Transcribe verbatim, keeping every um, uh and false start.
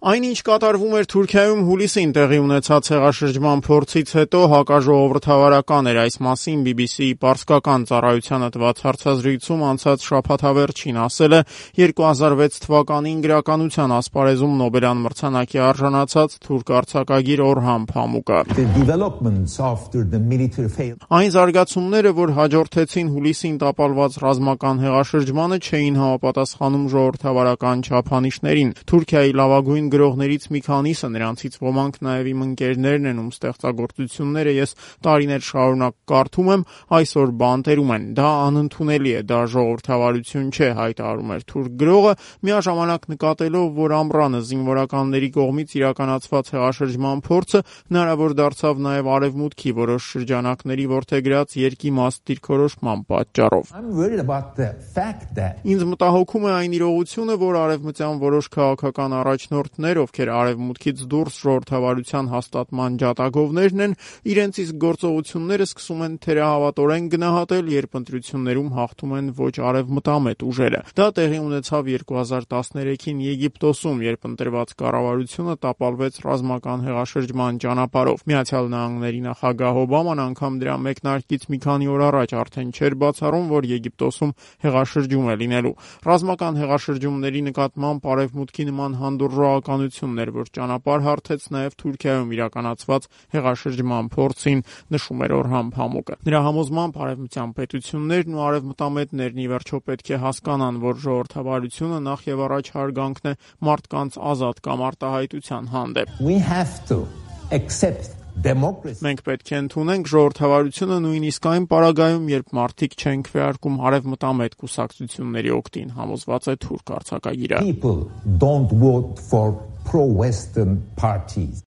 Այն, ինչ կատարվում էր Թուրքիայում հուլիսին տեղի ունեցած հեղաշրջման փորձից հետո հակաժողովրդավարական էր, այս մասին բի բի սիի պարսկական ծառայությանը տված հարցազրույցում անցած շաբաթ վերջին ասել է երկու հազար վեց թվականին գրականության ասպարեզում Նոբելյան մրցանակի արժանացած թուրք արձակագիր Օրհան Փամուկը։ Այն զարգացումները, որ հաջորդեցին հուլիսին տապալված ռազմական հեղաշրջմանը, չէին համապատասխանում ժողովրդավարական չափանիշներին։ Թուրքիայի լավագույն գրողներից մի քանիսը, նրանցից ոմանք նաև իմ ընկերներն են, ում ստեղծագործությունները ես տարիներ շարունակ կարդում եմ, այսօր բանտերում են։ Դա անընդունելի է, դա ժողովրդավարություն չէ, հայտարարում էր թուրք գրողը, միաժամանակ նկատելով, որ ամռանը զինվորականների կողմից իրականացված հեղաշրջման փորձը հնարավոր դարձավ նաև արևմուտքի որոշ շրջանակների որդեգրած երկիմաստ դիրքորոշման պատճառով։ Ինձ մտահոգում է այն իրողությունը, որ արևմտյան որոշ քաղաքական առաջնորդներ, ովքեր արևմուտքից դուրս ժողովրդավարության հաստատման ջատագովներն են, իրենց իսկ գործողությունները սկսում են թերահավատորեն գնահատել, երբ ընտրություններում հաղթում են ոչ արևմտամետ ուժերը։ Դա տեղի ունեցավ երկու հազար տասներեքին Եգիպտոսում, երբ ընտրված կառավարությունը տապալվեց ռազմական հեղաշրջման ճանապարհով։ Միացյալ Նահանգների նախագահ Օբաման անգամ դրա մեկնարկից մի քանի օր առաջ արդեն չէր բացառում, որ Եգիպտոսում հեղաշրջում է լինելու։ Ռազմական հեղաշրջումների նկատմամբ արևմուտքի նման հանդուրժողականությունն էր, որ ճանապարհ հարթեց նաև Թուրքիայում իրականացված հեղաշրջման փորձին, նշում էր Օրհան Փամուկը։ Նրա համոզմամբ արևմտյան պետություններն ու արևմտամետներն ի վերջո պետք է հասկանան, որ ժողովրդավարությունը նախ եւ առաջ հարգանքն է մարդկանց ազատ կամ արտահայտության հանդեպ։ Մենք պետք է ընդունենք ժողովրդավարությունը նույնիսկ այն պարագայում, երբ մարդիկ չեն քվեարկում արևմտամետ կուսակցությունների օգտին, համոզված է թուրք արձակագիրը։